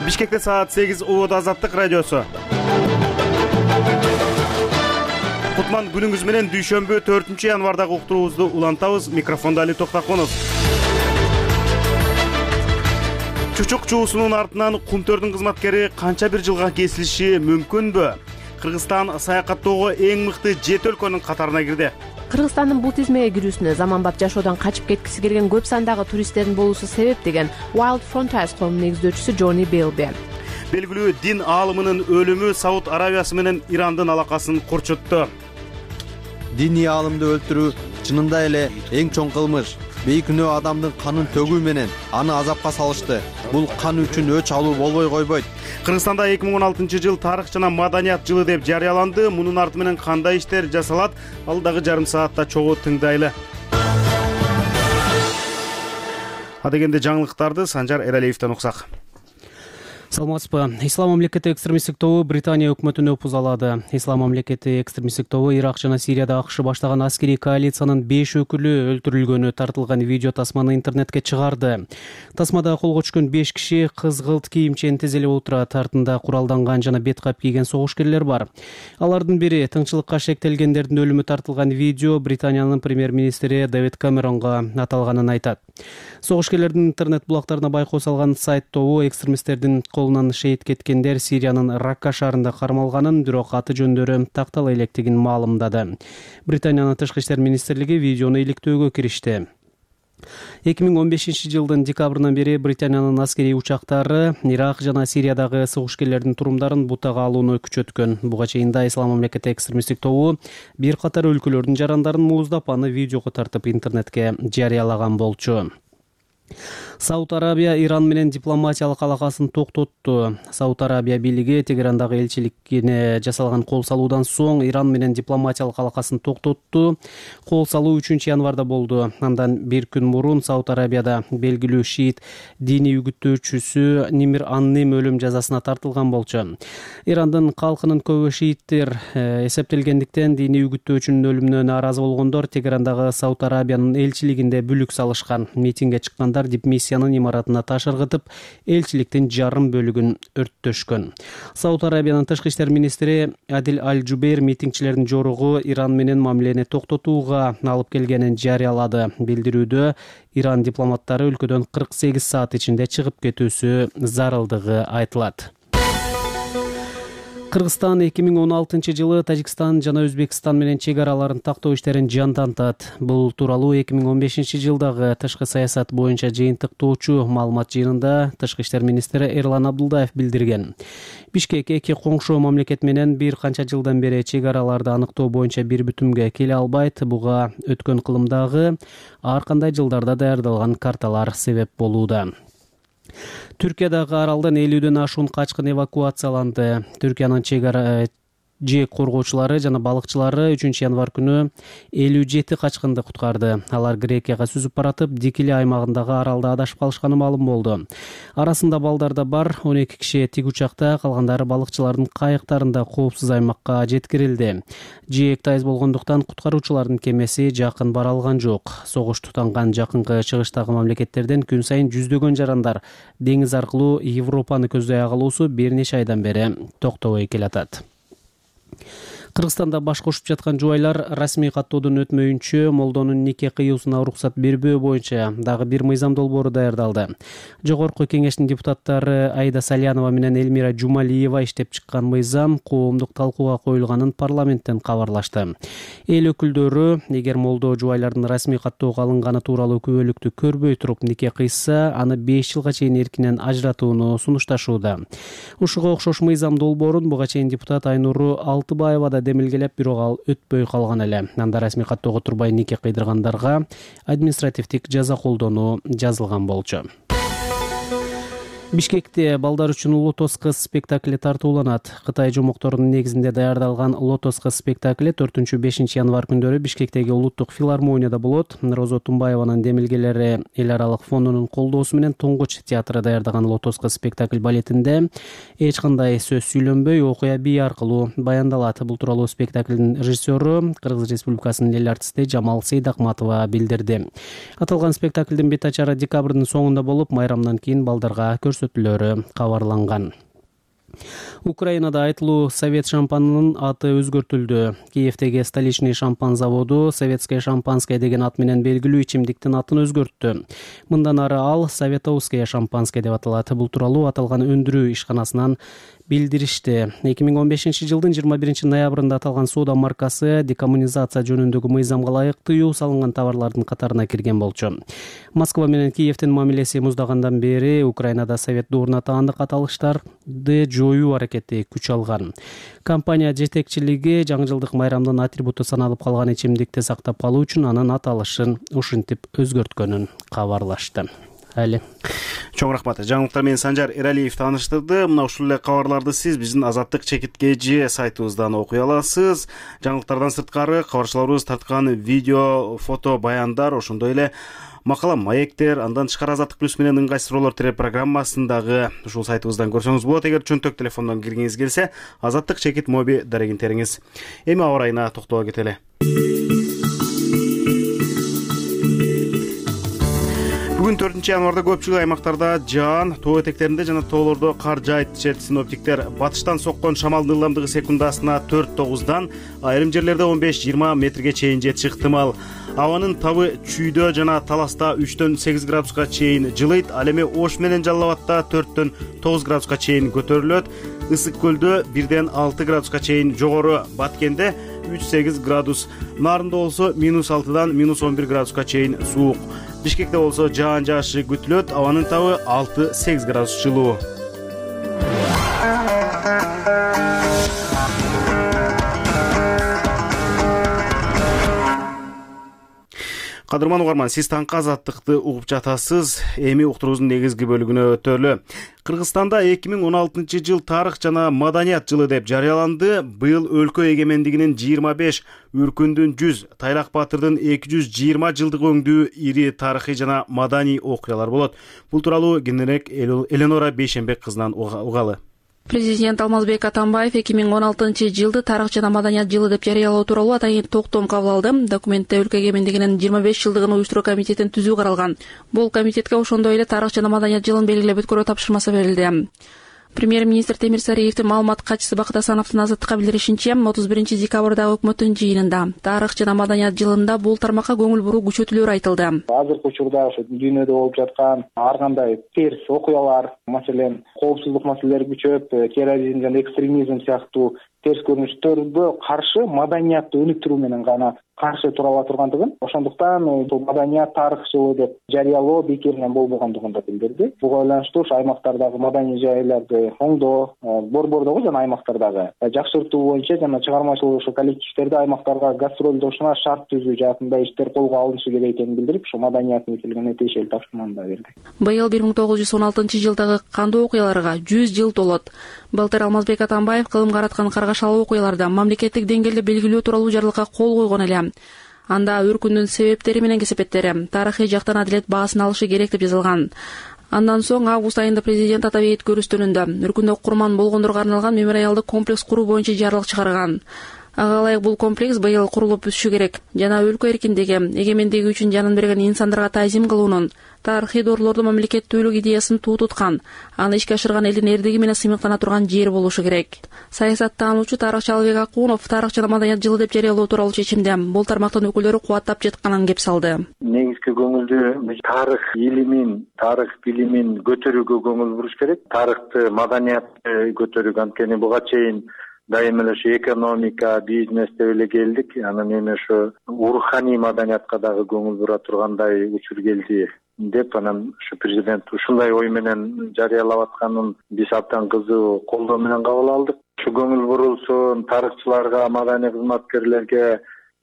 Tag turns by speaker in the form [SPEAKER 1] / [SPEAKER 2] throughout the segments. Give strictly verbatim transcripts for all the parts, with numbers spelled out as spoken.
[SPEAKER 1] Бишкекте саат сегиз убада Азаттык радиосу. Кутман күнүңүз менен дүйшөмбү төртүнчү январдагы уктуруубузду улантабыз. Микрофондо Али Токтаконов. Чучук чуусунун артынан Кумтөрдүн кызматкери канча бир жылга кесилиши мүмкүнбү? Кыргызстан саякаттоого эң мыкты жети өлкөнүн катарына кирди.
[SPEAKER 2] Кыргызстандын бул тизмеге кирүүсүнө заманбап жашоодон качып кеткиси келген көп сандагы туристтердин болуусу себеп деген Wild Frontiers коомунун негиздөөчүсү Джонни Белби.
[SPEAKER 1] Белгилүү дин аалымынын өлүмү Сауд Арабиясы менен Ирандын алакасын курчутту.
[SPEAKER 3] Диний аалымды өлтүрүү чынында эле эң чоң кылмыш. Бейкүнөө адамдын канын төгүү менен аны азапка салышты. Бул кан үчүн өч алуу болбой койбойт.
[SPEAKER 1] Кыргызстанда эки миң он алтынчы жыл тарых жана маданият жылы деп жарыяланды. Мунун арты менен кандай иштер жасалат? Алдагы жарым саатта чогуу тыңдайлы. Адегенде жаңылыктарды Санжар Эралиевден уксак.
[SPEAKER 4] Саламатсызбы. Ислам мамлекети экстремисттик тобу Британия өкмөтүн опузалады. Ислам мамлекети экстремисттик тобу Ирак жана Сирияда АКШ баштаган аскерий коалициянын беш өкүлү өлтүрүлгөнү тартылган видео тасманы интернетке чыгарды. Тасмада колго түшкөн беш киши кызгылт кийимчен тизилип отурат. Артында куралданган жана бет кап кийген согушкерлер бар. Алардын бири тыңчылыкка шектелгендердин өлүмү тартылган видео Британиянын премьер-министри Дэвид Камеронго аталганын айтат. Согушкерлердин интернет булактарына байкоо салган сайт тобу экстремисттердин колунан шейит кеткендер Сириянын Ракка шаарында кармалганын, бирок аты жөндөрү тактала электигин маалымдады. Британиянын тышкы иштер министрлиги видеону иликтөөгө киришти. эки миң он бешинчи жылдын декабрынан бери Британиянын аскерий учактары Ирак жана Сириядагы согушкерлердин турумдарын бутага алууну күчөткөн. Буга чейин да Ислам мамлекети экстремисттик тобу бир катар өлкөлөрдүн жарандарын мууздап, аны видеого тартып интернетке жарыялаган болчу. Сауд Арабия Иран менен дипломатиялык алакасын токтотту. Сауд Арабия бийлиги Тегерандагы элчиликине жасалган кол салуудан соң Иран менен дипломатиялык алакасын токтотту. Кол салуу үчүнчү январда болду. Андан бир күн мурун Сауд Арабияда белгилүү шиит диний үгүттөөчүсү Нимир Анним өлүм жазасына тартылган болчу. Ирандын калкынын көбү шииттер эсептелгендиктен диний үгүттөөчүнүн өлүмүнө нааразы болгондор Тегерандагы Сауд Арабиянын элчилигинде бүлүк салышкан. Митингге чыккандар дипмиссиянын имаратына таш ыргытып, элчиликтин жарым бөлүгүн өрттөшкөн. Сауд Арабиянын тышкы иштер министри Адил Аль-Жубейр митингчилердин жоругу Иран менен мамилени токтотууга алып келгенин жарыялады. Билдирүүдө Иран дипломаттары өлкөдөн кырк сегиз саат ичинде чыгып кетүүсү зарылдыгы айтылат. Кыргызстан эки миң он алтынчы жылы Тажикстан жана Өзбекстан менен чек араларын тактоо иштерин жандантат. Бул тууралуу эки миң он бешинчи жылдагы тышкы саясат боюнча жыйынтыктоочу маалымат жыйынында тышкы иштер министри Эрлан Абдулдаев билдирген. Бишкек эки коңшу мамлекет менен бир канча жылдан бери чек араларды аныктоо боюнча бир бүтүмгө келе албайт. Буга өткөн кылымдагы ар кандай жылдарда даярдалган карталар себеп болууда. Түркиядагы аралдан элүүдөн ашуун качкын эвакуацияланды. Түркиянын чек ара жээк коргоочулары жана балыкчылары үчүнчү январ күнү элүү жети качкынды куткарды. Алар Грекияга сүзүп баратып, Дикиле аймагындагы аралда адашып калышканы маалым болду. Арасында балдар да бар. он эки киши тик учакта, калгандары балыкчылардын кайыктарында коопсуз аймакка жеткирилди. Жээк тайыз болгондуктан куткаруучулардын кемеси жакын бара алган жок. Согуш тутанган жакынкы чыгыштагы мамлекеттерден күн сайын жүздөгөн жарандар деңиз аркылуу Европаны көздөй калуусу бир нече айдан бери токтобой келатат. Кыргызстанда баш кошуп жаткан жубайлар расмий каттоодон өтмөйүнчө молдонун нике кыюусуна уруксат бербөө боюнча дагы бир мыйзам долбоору даярдалды. Жогорку кеңештин депутаттары Айда Салянова менен Элмира Жумалиева иштеп чыккан мыйзам коомдук талкууга коюлганын парламенттен кабарлашты. Эл өкүлдөрү эгер молдо жубайлардын расмий каттоого алынганы тууралуу күбөлүктү көрбөй туруп нике кыйса, аны беш жылга чейин эркинен ажыратууну сунушташууда. Ушуга окшош мыйзам долбоорун буга чейин депутат Айнуру Алтыбаева да демилгелеп, бирок ал өтпөй калган эле. Анда расмий каттоого турбай нике кыйдыргандарга административдик жаза колдонуу жазылган болчу. Бишкекте балдар үчүн Лотос кыз спектакли тартууланат. Кытай жомокторунун негизинде даярдалган Лотос кыз спектакли төртүнчү-бешинчи январ күндөрү Бишкектеги улуттук филармонияда болот. Розо Тумбаеванын демилгелери Эл аралык фондунун колдоосу менен Тоңгоч театры даярдаган Лотос кыз спектакль балетинде эч кандай сөз сүйлөнбөй, окуя бий аркылуу баяндалат. Бул тууралуу спектаклдин режиссеру Кыргыз Республикасынын эл артисти Жамал Сейдакматова билдирди. Аталган спектаклдин бет ачары декабрдын соңунда болуп, майрамдан кийин балдарга көрсөтүлөт. көрсөтүүлөрү кабарланган. Украинада айтылуу совет шампанынын аты өзгөртүлдү. Киевдеги столичный шампан заводу советское шампанское деген ат менен белгилүү ичимдиктин атын өзгөрттү. Мындан ары ал советовское шампанское деп аталат. Бул тууралуу аталган өндүрүү ишканасынан билдиришти. эки миң он бешинчи жылдын жыйырма биринчи ноябрында аталган соода маркасы декоммунизация жөнүндөгү мыйзамга ылайык тыюу салынган товарлардын катарына кирген болчу. Москва менен Киевдин мамилеси муздагандан бери Украинада совет дооруна таандык аталыштарды жоюу аракети күч алган. Компания жетекчилиги жаңы жылдык майрамдын атрибуту саналып калган ичимдикти сактап калуу үчүн анын аталышын ушинтип өзгөрткөнүн кабарлашты. Али.
[SPEAKER 1] Чоң рахмат. Жаңылыктар менен Санжар Эралиев тааныштырды. Мына ушул эле кабарларды сиз биздин Азаттык чекиткежи сайтыбыздан окуй аласыз. Жаңылыктардан сырткары кабарчыларыбыз тарткан видео, фото, баяндар, ошондой эле макала, маектер, андан тышкары Азаттык плюс менен ыңгай суроолор телепрограммасындагы ушул сайтыбыздан көрсөңүз болот. Эгер чөнтөк телефондон киргиңиз келсе, Азаттык чекит моби дарегин териңиз. Эми аба ырайына токтоло кетели. Бүгүн төртүнчү январда көпчүлүк аймактарда жаан, тоо этектеринде жана тоолордо кар жаайт дешет синоптиктер. Батыштан соккон шамалдын ылдамдыгы секундасына төрт тогуздан, айрым жерлерде он беш жыйырма метрге чейин жетиши ыктымал. Абанын табы Чүйдө жана Таласта үчтөн сегиз градуска чейин жылыйт. Ал эми Ош менен Жалал Абадта төрттөн тогуз градуска чейин көтөрүлөт. Ысык көлдө бирден алты градуска чейин жогору, Баткенде үч сегиз градус, Нарында болсо минус алтыдан минус он бир градуска чейин суук. Бишкекте болсо жаан жаашы күтүлөт, абанын табы алты сегиз градус жылуу. Кадырман угарман, сиз таңкы Азаттыкты угуп жатасыз. Эми уктуруубуздун негизги бөлүгүнө өтөлү. Кыргызстанда эки миң он алтынчы жыл тарых жана маданият жылы деп жарыяланды. Быйыл өлкө эгемендигинин жыйырма беш, Үркүндүн жүз, Тайлак Батырдын эки жүз жыйырма жылдыгы өңдүү ири тарыхый жана маданий окуялар болот. Бул тууралуу кененирээк Эленора Бейшенбек кызынан угалы.
[SPEAKER 5] Президент Алмазбек Атамбаев эки миң он алтынчы жылды тарых жана маданият жылы деп жарыялоо тууралуу атайын токтом кабыл алды. Документте өлкө эгемендигинин жыйырма беш жылдыгын уюштуруу комитетин түзүү каралган. Бул комитетке ошондой эле тарых жана маданият жылын белгилеп өткөрүү тапшырмасы берилди. Премьер-министр Темир Сариевдин маалымат катчысы Бакыт Асановдун Азаттыкка билдиришинче, отуз биринчи декабрдагы өкмөттүн жыйынында тарых жана маданият жылында бул тармакка көңүл буруу күчөтүлөр айтылды.
[SPEAKER 6] Азыркы учурда ошо дүйнөдө болуп жаткан ар кандай терс окуялар, маселен, коопсуздук маселелери күчөп, терроризм жана экстремизм сыяктуу терс көрүнүштөргө каршы маданиятты өнүктүрүү менен гана каршы тура ала тургандыгын, ошондуктан бул маданият тарых жылы деп жарыялоо бекеринен болбогондугун да билдирди. Буга байланыштуу ушу аймактардагы маданий жайларды оңдоо, борбордогу жана аймактардагы жакшыртуу боюнча жана чыгармачылык ушу коллективдерди аймактарга гастролдошуна шарт түзүү жаатында иштер колго алынышы керек экенин билдирип, ушу маданият мекемелигине тиешелүү тапшырманы да берди.
[SPEAKER 5] Быйыл бир миң тогуз жүз он алтынчы жылдагы кандуу окуяларга жүз жыл толот. Былтыр Алмазбек Атамбаев кылымга араткан каргашалуу окуяларда мамлекеттик деңгээлде белгилөө тууралуу жарлыкка кол койгон эле. Анда Үркүндүн себептери менен кесепеттери тарыхый жактан адилет баасын алышы керек деп жазылган. Андан соң август айында президент Атабейт көрүстөрүндө Үркүндө курман болгондорго арналган мемориалдык комплекс куруу боюнча жарлык чыгарган. Ага ылайык бул комплекс быйыл курулуп бүтүшү керек жана өлкө эркиндиги, эгемендиги үчүн жанын берген инсандарга таазим кылуунун, тарыхый доорлорду мамлекеттүүлүк идеясын туу туткан, аны ишке ашырган элдин эрдиги менен сыймыктана турган жер болушу керек. Саясаттануучу тарыхчы Албек Акунов тарых жана маданият жылы деп жарыялоо тууралуу чечимде бул тармактын өкүлдөрү кубаттап жатканын кеп салды.
[SPEAKER 7] Негизги көңүлдү тарых илимин, тарых билимин көтөрүүгө көңүл буруш керек. Тарыхты, маданиятты көтөрүүгө, анткени буга чейин дайыма эле ушу экономика, бизнес деп эле келдик. Анан эми ушу руханий маданиятка дагы көңүл бура тургандай учур келди деп, анан ушу президент ушундай ой менен жарыялап атканын биз абдан кызуу колдоо менен кабыл алдык. Ушу көңүл бурулсун, тарыхчыларга, маданий кызматкерлерге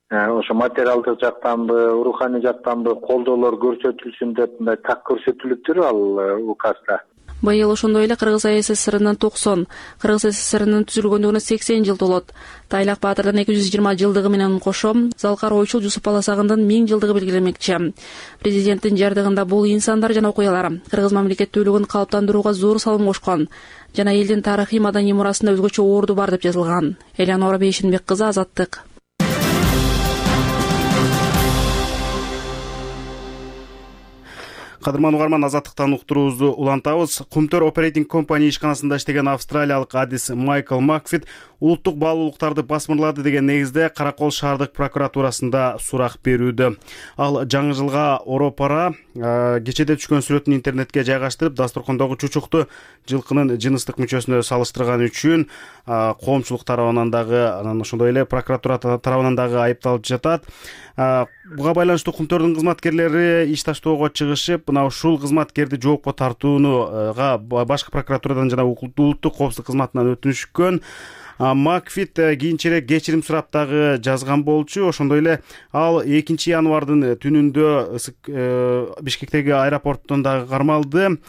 [SPEAKER 7] ошо материалдык жактанбы, руханий жактанбы колдоолор көрсөтүлсүн деп мындай так көрсөтүлүптүр ал указда.
[SPEAKER 5] Быйыл ошондой эле Кыргыз АССРнын токсон, Кыргыз СССРнын түзүлгөндүгүнө сексен жыл толот. Тайлак Батырдын эки жүз жыйырма жылдыгы менен кошо Залкар Ойчул Жусуп Баласагындын миң жылдыгы белгиленмекчи. Президенттин жардыгында бул инсандар жана окуялар кыргыз мамлекеттүүлүгүн калыптандырууга зор салым кошкон жана элдин тарыхый маданий мурасында өзгөчө орду бар деп жазылган. Эленора Бейшенбек кызы, Азаттык.
[SPEAKER 1] Кадырман угарман, Азаттыктан уктуруубузду улантабыз. Кумтөр Operating Company ишканасында иштеген австралиялык адис Майкл Макфит улуттук баалуулуктарды басмырлады деген негизде Каракол шаардык прокуратурасында сурак берүүдө. Ал жаңы жылга оропара кечеде түшкөн сүрөтүн интернетке жайгаштырып, дасторкондогу чучукту жылкынын жыныстык мүчөсүнө салыштырган үчүн коомчулук тарабынан дагы, анан ошондой эле прокуратура тарабынан дагы айыпталып жатат. Буга байланыштуу Кумтөрдүн кызматкерлери иш таштоого чыгышып, мына ушул кызматкерди жоопко тартууга башкы прокуратурадан жана улуттук коопсуздук кызматынан өтүнүшкөн. Макфит кийинчерээк кечирим сурап дагы жазган болчу. Ошондой эле ал экинчи январдын түнүндө Бишкектеги аэропорттон дагы кармалды.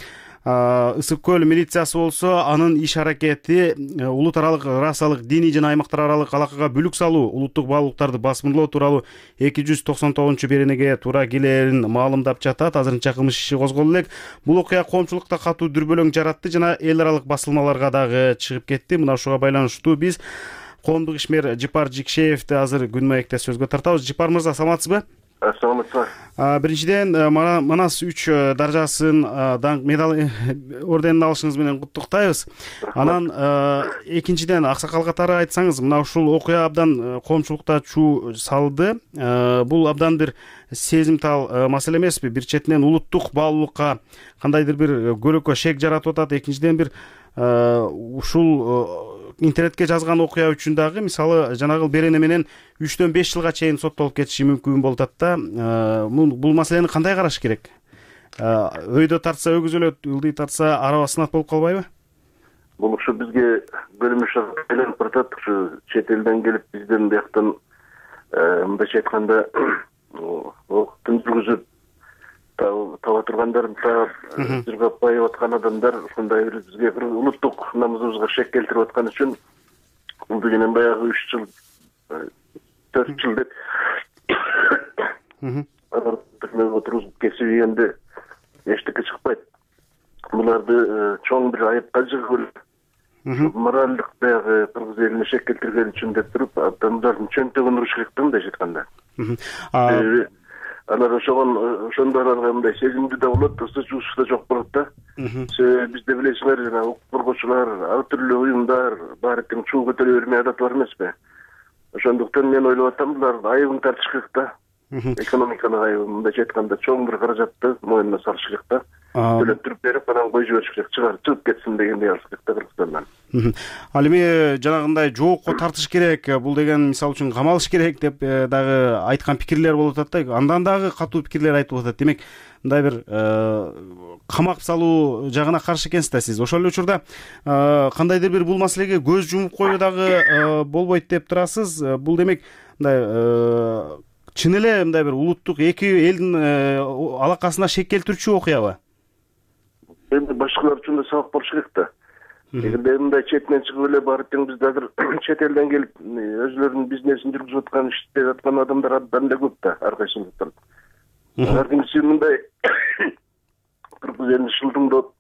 [SPEAKER 1] Ысык көл милициясы болсо анын иш аракети улут аралык, расалык, диний жана аймактар аралык алакага бүлүк салуу, улуттук баалуулуктарды басмырлоо тууралуу эки жүз токсон тогузунчу беренеге туура келерин маалымдап жатат. Азырынча кылмыш иши козголду элек. Бул окуя коомчулукта катуу дүрбөлөң жаратты жана эл аралык басылмаларга дагы чыгып кетти. Мына ушуга байланыштуу биз коомдук ишмер Жипар Жикшеевди азыр күн маекте сөзгө тартабыз. Жипар мырза, саламатсызбы?
[SPEAKER 7] Assalamualaikum.
[SPEAKER 1] Биринчиден, Манас үч даражасын даңк медал орденин алышыңыз менен куттуктайбыз. Анан экинчиден, аксакал катары айтсаңыз, мына ушул окуя абдан коомчулукта чуу салды. Бул абдан бир сезимтал маселе эмеспи? Бир четинен улуттук баалуулукка кандайдыр бир көлөкө шек жаратып атат. Экинчиден, бир ушул интернетке жазган окуя үчүн дагы, мисалы, жанагы берене менен үчтөн беш жылга чейин соттолуп кетиши мүмкүн болуп атат да. Бул маселени кандай караш керек? Өйдө тартса өгүз өлөт, ылдый тартса араба сынат болуп калбайбы?
[SPEAKER 8] Бул ушу бизге көрүнүш айланып баратат. Ушу чет элден келип бизден бияктан мындайча айтканда октун жүргүзүп таба тургандар, жыргап байып аткан адамдар ушундай бир бизге бир улуттук намысыбызга шек келтирип аткан үчүн бул дегенен баягы үч жыл, төрт жыл деп отургузуп кесип ийгенде эчтеке чыкпайт. Буларды чоң бир айыпка жыгып, моралдык баягы кыргыз элине шек келтирген үчүн деп туруп, адамдардын чөнтөгүн уруш керек да, мындайча айтканда. Алар ошогон ошондо аларга мындай сезимдүү да болот, ысы чуусу да жок болот да. Бизде билесиңер, жана укук коргоочулар, ар түрлүү уюмдар баары тең чуу көтөрө бермей адаты бар эмеспи? Ошондуктан мен ойлоп атам, булар айыбын тартыш керек да. Экономикалык айыбын, мындайча айтканда, чоң бир каражатты моюнуна салыш керек да. Төлөттүрүп берип, анан коюп жибериш керек, чыгарып чыгып кетсин дегендей алыш керек да Кыргызстандан.
[SPEAKER 1] Ал эми жанагындай жоокко тартыш керек, бул деген мисалы үчүн камалыш керек деп дагы айткан пикирлер болуп атат да. Андан дагы катуу пикирлер айтып атат. Демек, мындай бир камап салуу жагына каршы экенсиз да сиз. Ошол эле учурда кандайдыр бир бул маселеге көз жумуп коюу дагы болбойт деп турасыз. Бул демек мындай чын эле мындай бир улуттук эки элдин алакасына шек келтирүүчү окуябы?
[SPEAKER 8] Эми башкалар үчүн да сабак болуш керек да. Эгерде мындай четинен чыгып эле баары тең бизде азыр чет элден келип өзүлөрүнүн бизнесин жүргүзүп аткан, иштеп аткан адамдар абдан эле көп да, ар кайсысында. Ар кимси мындай кыргыз элин шылтыңдап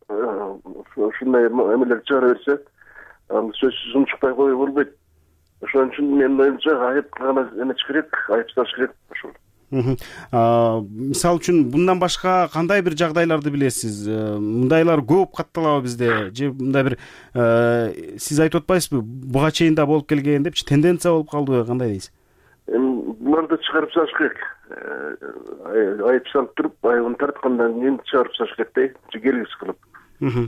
[SPEAKER 8] ушундай эмелер чыгара берсе, ал сөзсүз унчукпай коюу болбойт. Ошон үчүн менин оюмча айып гана эмес керек, айып салыш керек ошол.
[SPEAKER 1] Мисалы үчүн мындан башка кандай бир жагдайларды билесиз? Мындайлар көп катталабы бизде? Же мындай бир сиз айтып атпайсызбы? Буга чейин да болуп келген депчи, тенденция болуп калдыбы, кандай дейсиз?
[SPEAKER 8] Эми буларды чыгарып салыш керек. Айып салып туруп, айыбын тарткандан кийин чыгарып салыш керек да, келгис кылып.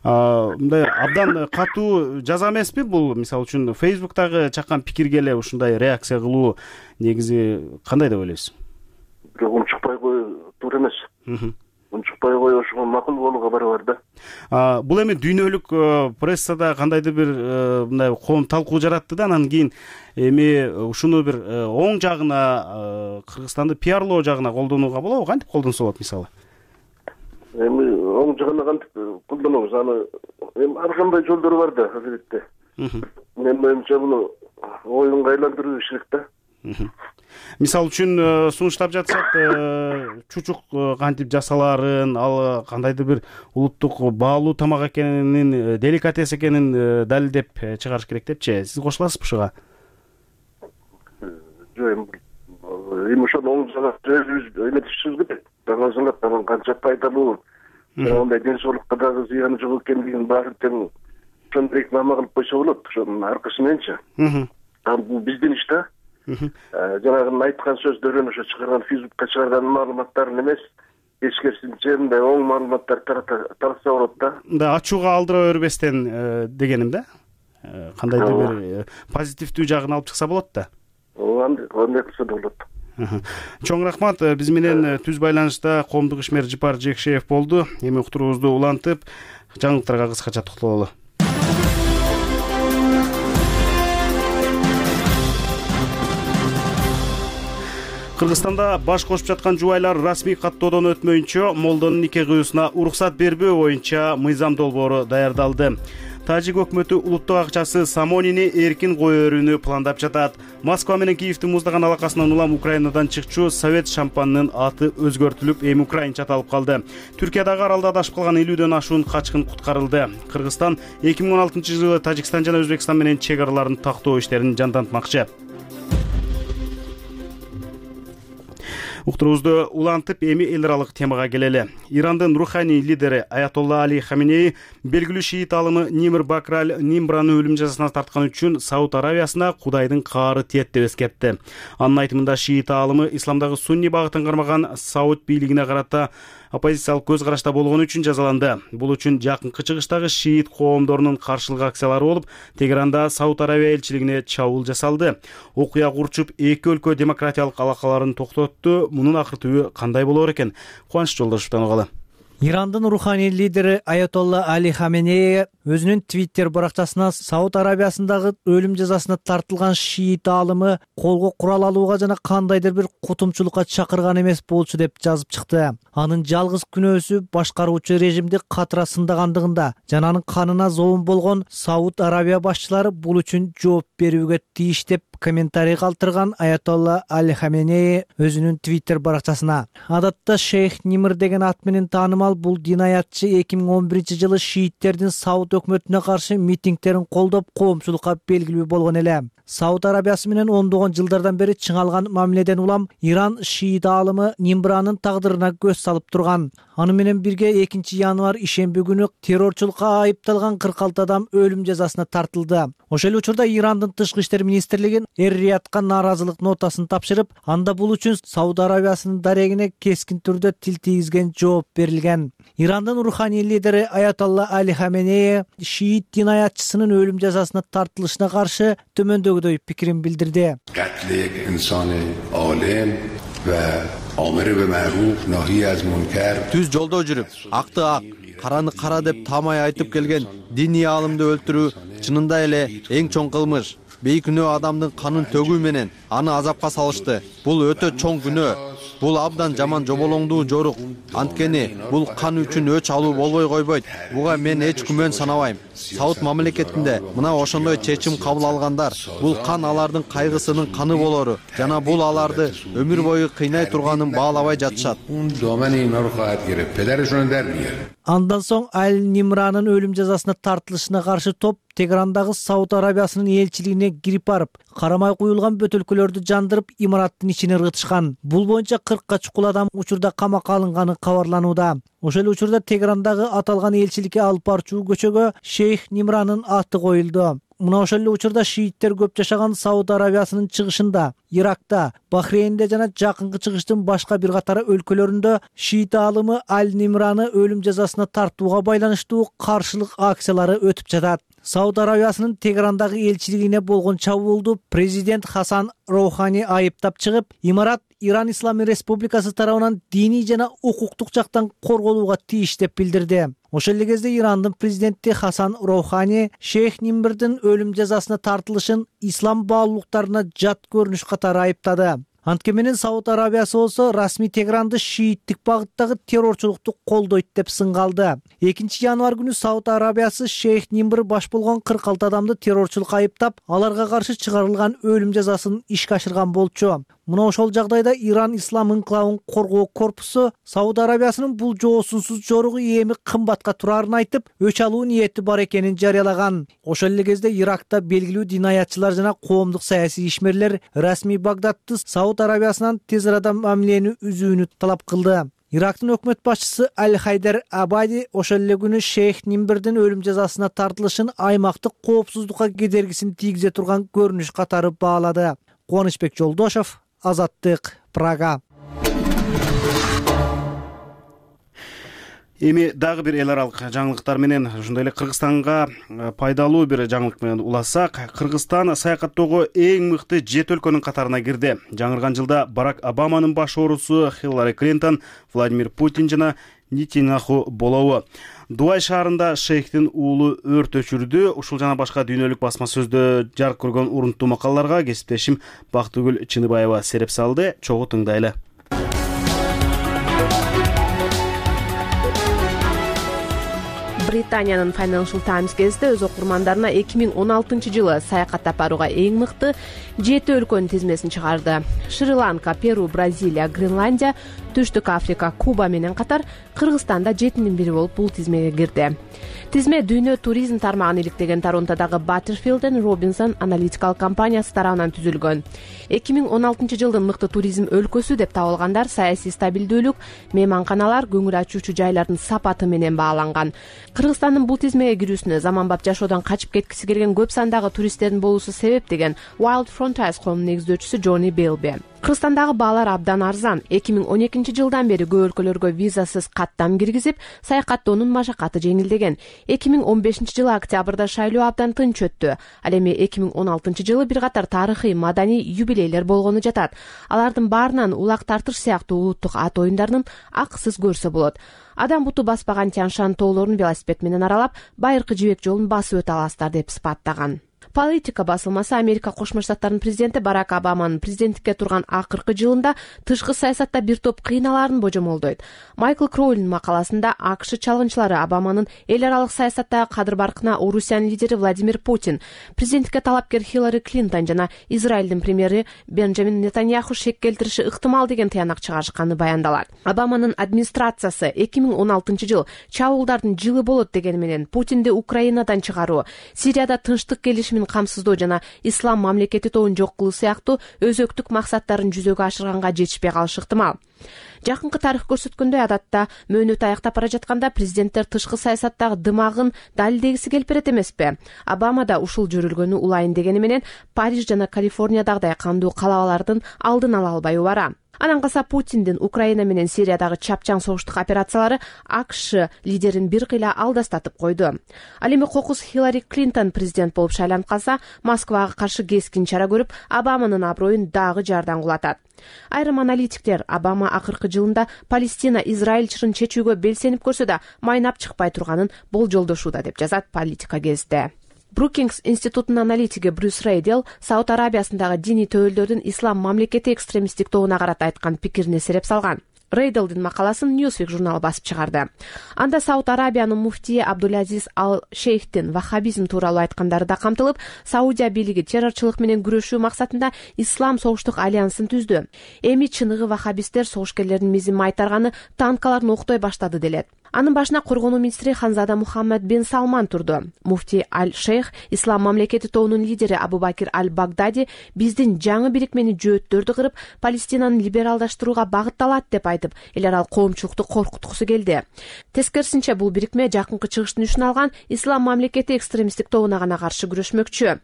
[SPEAKER 1] Мындай абдан катуу жаза эмеспи бул? Мисалы үчүн Facebook'тагы чаккан пикирге эле ушундай реакция кылуу негизи кандай деп ойлойсуз?
[SPEAKER 8] Бирок унчукпай коюу туура эмес. Унчукпай коюу ошого макул болууга барабар да.
[SPEAKER 1] Бул эми дүйнөлүк прессада кандайдыр бир мындай коом талкуу жаратты да, анан кийин эми ушуну бир оң жагына, Кыргызстанды пиарлоо жагына колдонууга болобу? Кантип колдонсо болот мисалы?
[SPEAKER 8] Эми оң жагына кантип колдонобуз? Аны эми ар кандай жолдору бар да, албетте. Менин оюмча муну оюнга айландыруу керек да.
[SPEAKER 1] Мисалы үчүн сунуштап жатсак, чучук кантип жасалаарын, ал кандайдыр бир улуттук баалуу тамак экенин, деликатес экенин далилдеп чыгарыш керек депчи. Сиз кошуласызбы ушуга?
[SPEAKER 8] Жок, эми эми ошону оң жагын өзүбүз эметишибиз керек. Даңазалап анан канча пайдалуу, андай ден соолукка дагы зыяны жок экендигин баары тең ошондой реклама кылып койсо болот. Ошонун аркасы мененчи. Ал бул биздин иш да. Жанагы айткан сөздөрүн, ошо чыгарган Фейсбукка чыгарган маалыматтарын эмес, эскерисинче мындай оң маалыматтар таратса болот да.
[SPEAKER 1] Да, ачууга алдыра бербестен дегеним да. Кандайдыр бир позитивдүү жагын алып чыкса болот да.
[SPEAKER 8] Андай кылса да болот.
[SPEAKER 1] Чоң рахмат. Биз менен түз байланышта коомдук ишмер Жыпар Жекшеев болду. Эми уктуруубузду улантып, жаңылыктарга кыскача токтололу. Кыргызстанда баш кошуп жаткан жубайлар расмий каттоодон өтмөйүнчө молдонун нике кыюусуна уруксат бербөө боюнча мыйзам долбоору даярдалды. Тажик өкмөтү улуттук акчасы Самонини эркин кое берүүнү пландап жатат. Москва менен Киевдин муздаган алакасынан улам Украинадан чыкчу совет шампанынын аты өзгөртүлүп, эми украинча аталып калды. Түркиядагы аралда адашып калган элүүдөн ашуун качкын куткарылды. Кыргызстан эки миң он алтынчы жылы Тажикстан жана Өзбекстан менен чек араларын тактоо иштерин жандантмакчы. Уктуруубузду улантып, эми эл аралык темага келели. Ирандын руханий лидери Аятолла Али Хаменеи белгилүү шиит алымы Нимр Бакраль Нимбраны өлүм жазасына тарткан үчүн Сауд Аравиясына Кудайдын каары тиет деп эскертти. Анын айтымында шиит алымы исламдагы сунни багытын кармаган Сауд бийлигине карата оппозициялык көз карашта болгону үчүн жазаланды. Бул үчүн жакынкы чыгыштагы шиит коомдорунун каршылык акциялары болуп, Тегеранда Сауд Аравия элчилигине чабуул жасалды. Окуя курчуп, эки өлкө демократиялык алакаларын токтотту. Мунун акыр түбү кандай болор экен? Кубаныч Жолдошевдон угалы.
[SPEAKER 9] Ирандын руханий лидери Аятолла Али Хаменеи өзүнүн Твиттер баракчасына Сауд Арабиясындагы өлүм жазасына тартылган шиит алымы колго курал алууга жана кандайдыр бир кутумчулукка чакырган эмес болчу деп жазып чыкты. Анын жалгыз күнөөсү башкаруучу режимди катыра сындагандыгында жана анын канына зоомун болгон Сауд Арабия башчылары бул үчүн жооп берүүгө тийиш деп комментарий калтырган Аятолла Али Хаменеи өзүнүн Твиттер баракчасына. Адатта Шейх Нимр деген ат менен таанымал бул динаятчы эки миң он биринчи жылы шииттердин Сауд өкмөтүнө каршы митингтерин колдоп, коомчулукка белгилүү болгон эле. Сауд Арабиясы менен ондогон жылдардан бери чыңалган мамиледен улам Иран шиит алымы Нимбранын тагдырына көз салып турган. Аны менен бирге экинчи январь ишемби күнү террорчулукка айыпталган кырк алты адам өлүм жазасына тартылды. Ошол эле учурда Ирандын тышкы иштер министрлиги Эр-Риядка нааразылык нотасын тапшырып, анда бул үчүн Сауд Арабиясынын дарегине кескин түрдө тил тийгизген жооп берилген. Ирандын руханий лидери Аятолла Али Хаменеи шиит динаятчысынын өлүм жазасына тартылышына каршы төмөндөгүдөй пикирин билдирди.
[SPEAKER 3] Түз жолдо жүрүп, акты ак, караны кара деп таамай айтып келген диний аалымды өлтүрүү чынында эле эң чоң кылмыш. Бейкүнөө адамдын канын төгүү менен аны азапка салышты. Бул өтө чоң күнөө. Бул абдан жаман жоболоңдуу жорук. Анткени бул кан үчүн өч алуу болбой койбойт. Буга мен эч күмөн санабайм. Сауд мамлекетинде мына ошондой чечим кабыл алгандар, бул кан алардын кайгысынын каны болору жана бул аларды өмүр бою кыйнай турганын баалабай жатышат.
[SPEAKER 9] Андан соң Аль Нимранын өлүм жазасына тартылышына каршы топ Тегерандагы Сауд Арабиясынын элчилигине кирип барып, карамай куюлган бөтөлкөлөрдү жандырып, имараттын ичине ыргытышкан. Бул боюнча кыркка чукул адам учурда камакка алынганы кабарланууда. Ошол эле учурда Тегерандагы аталган элчиликке алып барчу көчөгө Шейх Нимранын аты коюлду. Мына ошол эле учурда шииттер көп жашаган Сауд Арабиясынын чыгышында, Иракта, Бахрейнде жана жакынкы чыгыштын башка бир катары өлкөлөрүндө шиит аалымы Аль Нимраны өлүм жазасына тартууга байланыштуу каршылык акциялары өтүп жатат. Сауд Арабиясынын Тегерандагы элчилигине болгон чабуулду президент Хасан Роухани айыптап чыгып, имарат Иран Исламий Республикасы тарабынан диний жана укуктук жактан корголууга тийиш деп билдирди. Ошол эле кезде Ирандын президенти Хасан Роухани Шейх Нимбрдин өлүм жазасына тартылышын ислам баалуулуктарына жат көрүнүш катары айыптады. Антке менен Сауд Арабиясы болсо расмий Тегеранды шииттик багыттагы террорчулукту колдойт деп сынгалды. экинчи январь күнү Сауд Арабиясы Шейх Нимбр баш болгон кырк алты адамды террорчулукка айыптап, аларга каршы чыгарылган өлүм жазасын ишке ашырган болчу. Мына ошол жагдайда Иран ислам инкилабын коргоо корпусу Сауд Арабиясынын бул жоосунсуз жоругу эми кымбатка турарын айтып, өч алуу ниети бар экенин жарыялаган. Ошол эле кезде Иракта белгилүү динаятчылар жана коомдук саясий ишмерлер расмий Багдадты Сауд Арабиясынан тез арада мамилени үзүүнү талап кылды. Ирактын өкмөт башчысы Аль-Хайдар Абади ошол эле күнү шейх Нимбердин өлүм жазасына тартылышын аймактык коопсуздукка кедергисин тийгизе турган көрүнүш катары баалады. Кубанычбек Жолдошов, Азаттык, Прага.
[SPEAKER 1] Эми дагы бир эл аралык жаңылыктар менен, ошондой эле Кыргызстанга пайдалуу бир жаңылык менен улассак, Кыргызстан саякаттоого эң мыкты жети өлкөнүн катарына кирди. Жаңырган жылда Барак Обаманын баш оорусу Хиллари Клинтон, Владимир Путин жана Нетаньяху болобу. Дубай шаарында шейхтин уулу өрт өчүрдү. Ушул жана башка дүйнөлүк басма сөздө жарык көргөн урунттуу макалаларга кесиптешим Бактыгүл Чыныбаева сереп салды. Чогуу тыңдайлы.
[SPEAKER 2] Британиянын Financial Times газети өз окурмандарына эки миң он алтынчы жылы саякаттап барууга эң мыкты жети өлкөнүн тизмесин чыгарды. Шри-Ланка, Перу, Бразилия, Гренландия, Түштүк Африка, Куба менен катар Кыргызстанда жетинин бири болуп бул тизмеге кирди. Тизме дүйнө туризм тармагын иликтеген Торонтодагы Butterfield and Robinson аналитикалык компаниясы тарабынан түзүлгөн. эки миң он алтынчы жылдын мыкты туризм өлкөсү деп табылгандар саясий стабилдүүлүк, мейманканалар, көңүл ачуучу жайлардын сапаты менен бааланган. Кыргызстандын бул тизмеге кирүүсүнө заманбап жашоодон качып кеткиси келген көп сандагы туристтердин болуусу себеп деген Wild Frontiers коомунун негиздөөчүсү Джонни Белби. Кыргызстандагы баалар абдан арзан. эки миң он экинчи жылдан бери көп өлкөлөргө визасыз каттам киргизип, саякаттоонун машакаты жеңилдеген. эки миң он бешинчи жылы октябрда шайлоо абдан тынч өттү. Ал эми эки миң он алтынчы жылы бир катар тарыхый маданий юбилейлер болгону жатат. Алардын баарынан улак тартыш сыяктуу улуттук ат оюндарынын акысыз көрсө болот. Адам буту баспаган Тянь-Шань тоолорун велосипед менен аралап, байыркы жибек жолун басып өтө аласыздар деп сыпаттаган. Политика басылмасы Америка Кошмо Штаттарынын президенти Барак Обаманын президенттикке турган акыркы жылында тышкы саясатта бир топ кыйналаарын божомолдойт. Майкл Кроулин макаласында АКШ чалгынчылары Обаманын эл аралык саясаттагы кадыр-баркына Орусиянын лидери Владимир Путин, президенттикке талапкер Хиллари Клинтон жана Израилдин премьери Бенджамин Нетаньяху шек келтириши ыктымал деген тыянак чыгарышканы баяндалат. Обаманын администрациясы эки миң он алтынчы жыл чабуулдардын жылы болот дегени менен Путинди Украинадан чыгаруу, Сирияда тынчтык келишимин камсыздоо жана ислам мамлекети тобун жок кылуу сыяктуу өзөктүк максаттарын жүзөгө ашырганга жетишпей калышы ыктымал. Жакынкы тарых көрсөткөндөй, адатта мөөнөт аяктап бара жатканда президенттер тышкы саясаттагы дымагын далилдегиси келип берет эмеспи? Обама да ушул жөрүлгөнү улайын дегени менен Париж жана Калифорниядагыдай кандуу калабалардын алдын ала албай убара. Анан калса Путиндин Украина менен Сириядагы чапчаң согуштук операциялары АКШ лидерин бир кыйла алдастатып койду. Ал эми кокус Хиллари Клинтон президент болуп шайланып калса, Москвага каршы кескин чара көрүп, Обаманын аброюн дагы жардан кулатат. Айрым аналитиктер Обама акыркы жылында Палестина Израиль чырын чечүүгө белсенип көрсө да майнап чыкпай турганын болжолдошууда деп жазат Политика газети. Brookings институтунун аналитиги Брюс Рейдел Сауд Арабиясындагы диний төөлдөрдүн ислам мамлекети экстремисттик тобуна карата айткан пикирине сереп салган. Рейделдин макаласын Newsweek журналы басып чыгарды. Анда Сауд Арабиянын муфтии Абдулазиз Ал-Шейхтин ваххабизм тууралуу айткандары да камтылып, Саудия бийлиги террорчулук менен күрөшүү максатында Ислам согуштук альянсын түздү. Эми чыныгы ваххабисттер согушкерлердин мизин майтарганы танкаларын октой баштады делет. Анын башына коргонуу министри Ханзада Мухаммад бен Салман турду. Муфти Аль-Шейх Ислам мамлекети тобунун лидери Абу-Бакир Аль-Багдади биздин жаңы бирикмени жөөттөрдү кырып, Палестинаны либералдаштырууга багытталат деп айтып, эл аралык коомчулукту коркуткусу келди. Тескерисинче, бул бирикме жакынкы чыгыштын үчүн алган Ислам мамлекети экстремисттик тобуна гана каршы күрөшмөкчү.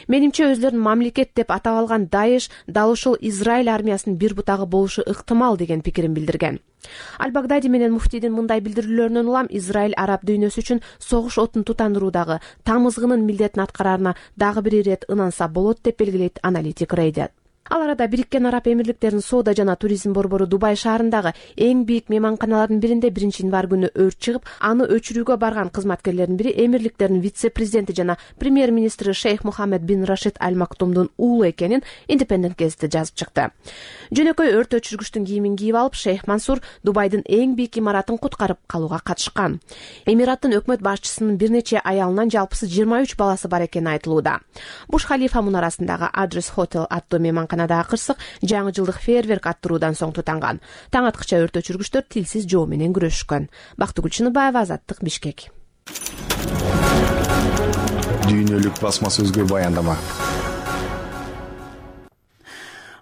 [SPEAKER 2] Менимче, өзлөрүн мамлекет деп атап алган Даиш дал ушул Израиль армиясынын бир бутагы болушу ыктымал деген пикирин билдирген. Аль-Багдади менен муфтийдин мындай билдирүүлөрүнөн улам Израиль араб дүйнөсү үчүн согуш отун тутандыруудагы тамызгынын милдетин аткарарына дагы бир ирет ынанса болот деп белгилейт аналитик Рейдел. Ал арада Бириккен Араб Эмирликтеринин соода жана туризм борбору Дубай шаарындагы эң бийик мейманканалардын биринде биринчи январь күнү өрт чыгып, аны өчүрүүгө барган кызматкерлердин бири Эмирликтердин вице-президенти жана премьер-министри Шейх Мухаммед бин Рашид Аль-Мактумдун уулу экенин Independent газети жазып чыкты. Жөнөкөй өрт өчүргүчтүн кийимин кийип алып, Шейх Мансур Дубайдын эң бийик имаратын куткарып калууга катышкан. Эмираттын өкмөт башчысынын бир нече аялынан жалпысы жыйырма үч баласы бар экени айтылууда. Буш халифа мунарасындагы Адрес Hotel аттуу мейманкана даярканадагы кырсык жаңы жылдык фейерверк аттыруудан соң тутанган. Таң аткыча өрт өчүргүчтөр тилсиз жоо менен күрөшүшкөн. Бактыгүл Чыныбаева, Азаттык, Бишкек.
[SPEAKER 10] Дүйнөлүк басма сөзгө баяндама.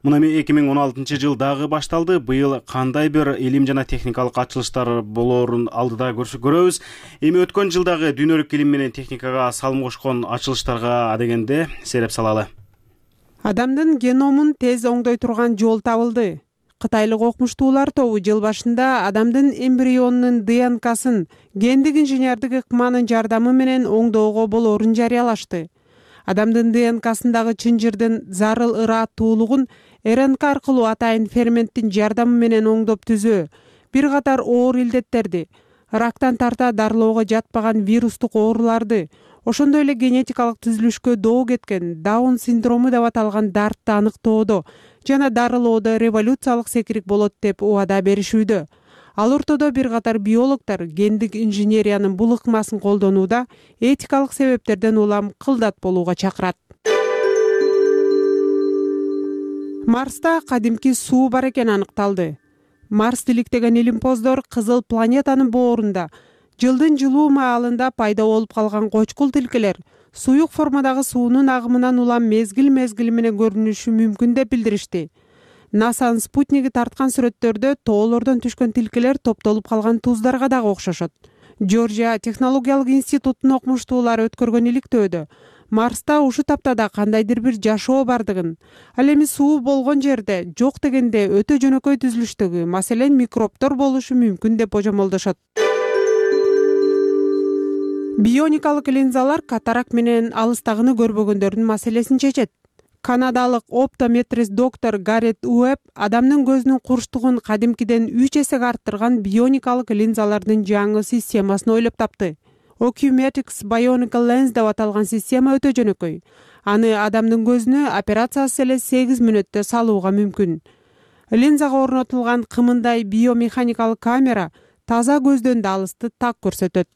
[SPEAKER 1] Мына эми эки миң он алтынчы жыл дагы башталды. Быйыл кандай бир илим жана техникалык ачылыштар болоорун алдыда көрөбүз. Эми өткөн жылдагы дүйнөлүк илим менен техникага салым кошкон ачылыштарга адегенде сереп салалы.
[SPEAKER 11] Адамдын геномун тез оңдой турган жол табылды. Кытайлык окумуштуулар тобу жыл башында адамдын эмбрионунун ДНКсын гендик инженердик ыкманын жардамы менен оңдоого болоорун жарыялашты. Адамдын ДНКсындагы чынжырдын зарыл ыраттуулугун РНК аркылуу атайын ферменттин жардамы менен оңдоп түзөө бир катар оор илдеттерди, рактан тарта дарылоого жатпаган вирустук ооруларды, ошондой эле генетикалык түзүлүшкө доо кеткен Даун синдрому деп аталган дартты аныктоодо жана дарылоодо революциялык секирик болот деп убада беришүүдө. Ал ортодо бир катар биологдор гендик инженериянын бул ыкмасын колдонууда этикалык себептерден улам кылдат болууга чакырат. Марста кадимки суу бар экени аныкталды. Марс иликтеген илимпоздор кызыл планетанын боорунда жылдын жылуу маалында пайда болуп калган кочкул тилкелер суюк формадагы суунун агымынан улам мезгил-мезгили менен көрүнүшү мүмкүн деп билдиришти. НАСАнын спутниги тарткан сүрөттөрдө тоолордон түшкөн тилкелер топтолуп калган туздарга дагы окшошот. Жоржия технологиялык институтунун окумуштуулары өткөргөн иликтөөдө Марста ушу таптада кандайдыр бир жашоо бардыгын, ал эми суу болгон жерде жок дегенде өтө жөнөкөй түзүлүштөгү, маселен микробтор болушу мүмкүн деп божомолдошот. Бионикалык линзалар катарак менен алыстагыны көрбөгөндөрдүн маселесин чечет. Канадалык оптометрист доктор Гаррет Уэбб адамдын көзүнүн курчтугун кадимкиден үч эсеге арттырган бионикалык линзалардын жаңы системасын ойлоп тапты. Ocumetrics Bionical Lens деп аталган система өтө жөнөкөй. Аны адамдын көзүнө операциясыз эле сегиз мүнөттө салууга мүмкүн. Линзага орнотулган кымындай биомеханикалык камера таза көздөн да алысты так көрсөтөт.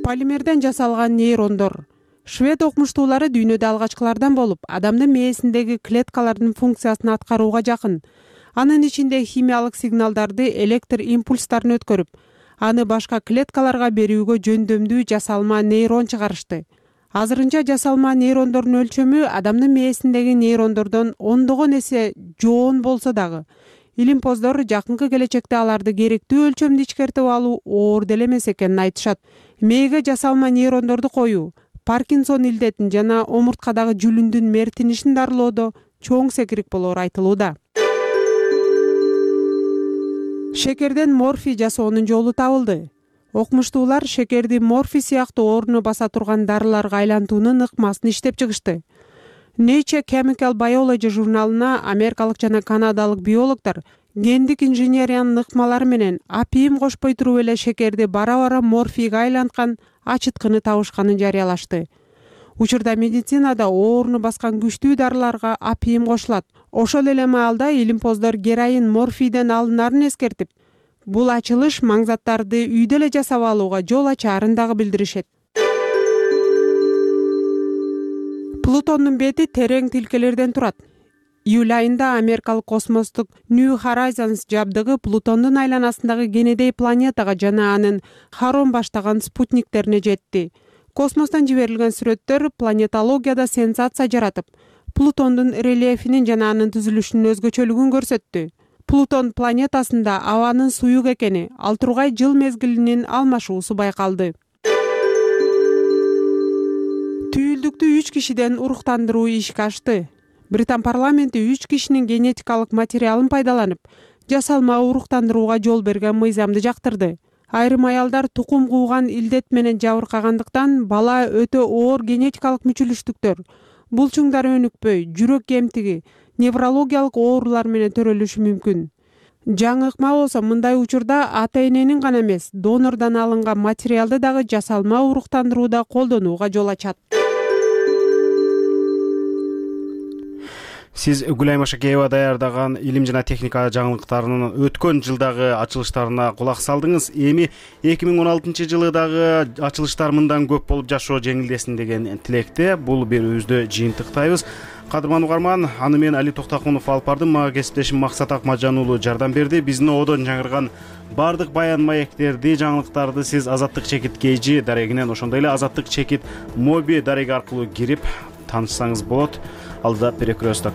[SPEAKER 11] Полимерден жасалган нейрондор. Швед окумуштуулары дүйнөдө алгачкылардан болуп, адамдын мээсиндеги клеткалардын функциясын аткарууга жакын. Анын ичинде химиялык сигналдарды электр импульстарын өткөрүп, аны башка клеткаларга берүүгө жөндөмдүү жасалма нейрон чыгарышты. Азырынча жасалма нейрондордун өлчөмү адамдын мээсиндеги нейрондордон ондогон эсе жоон болсо дагы, илимпоздор жакынкы келечекте аларды керектүү өлчөмдү ичкертип алуу оор деле эмес экенин айтышат. Мээге жасалма нейрондорду коюу Паркинсон илдетин жана омурткадагы жүлүндүн мертинишин дарылоодо чоң секирик болоору айтылууда. Шекерден морфий жасоонун жолу табылды. Окумуштуулар шекерди морфий сыяктуу орну баса турган дарыларга айлантуунун ыкмасын иштеп чыгышты. Nature Chemical Biology журналына америкалык жана канадалык биологдор гендик инженериянын ыкмалары менен апийим кошпой туруп эле шекерди бара-бара морфийге айланткан ачыткыны табышканын жарыялашты. Учурда медицинада ооруну баскан күчтүү дарыларга апийим кошулат. Ошол эле маалда илимпоздор героин морфийден алынарын эскертип, бул ачылыш маңзаттарды үйдө эле жасап алууга жол ачаарын дагы билдиришет. Плутондун бети терең тилкелерден турат. Июль айында америкалык космостук New Horizons жабдыгы Плутондун айланасындагы Кенедей планетага жана анын Харон баштаган спутниктерине жетти. Космостон жиберилген сүрөттөр планетологияда сенсация жаратып, Плутондун рельефинин жана анын түзүлүшүнүн өзгөчөлүгүн көрсөттү. Плутон планетасында абанын суюк экени, ал тургай жыл мезгилинин алмашуусу байкалды. Түйүлдүктү үч кишиден уруктандыруу ишке ашты. Британ парламенти үч кишинин генетикалык материалын пайдаланып, жасалма уруктандырууга жол берген мыйзамды жактырды. Айрым аялдар тукум кууган илдет менен жабыркагандыктан бала өтө оор генетикалык мүчүлүштүктөр, булчуңдар өнүкпөй, жүрөк кемтиги, неврологиялык оорулар менен төрөлүшү мүмкүн. Жаңы ыкма болсо мындай учурда ата-эненин гана эмес, донордон алынган материалды дагы жасалма уруктандырууда колдонууга жол ачат.
[SPEAKER 1] Сиз Гүлайым Ашакеева даярдаган илим жана техника жаңылыктарынын өткөн жылдагы ачылыштарына кулак салдыңыз. Эми эки миң он алтынчы жылы дагы ачылыштар мындан көп болуп жашоо жеңилдесин деген тилекте бул берүүбүздү жыйынтыктайбыз. Кадырман угарман, аны мен Али Токтокунов алып бардым. Мага кесиптешим Максат Акмаджан уулу жардам берди. Биздин одон жаңырган бардык баян маектерди, жаңылыктарды сиз Азаттык чекит kg дарегинен, ошондой эле Азаттык чекит моби дареги аркылуу кирип таанышсаңыз болот. Алдыда перекресток.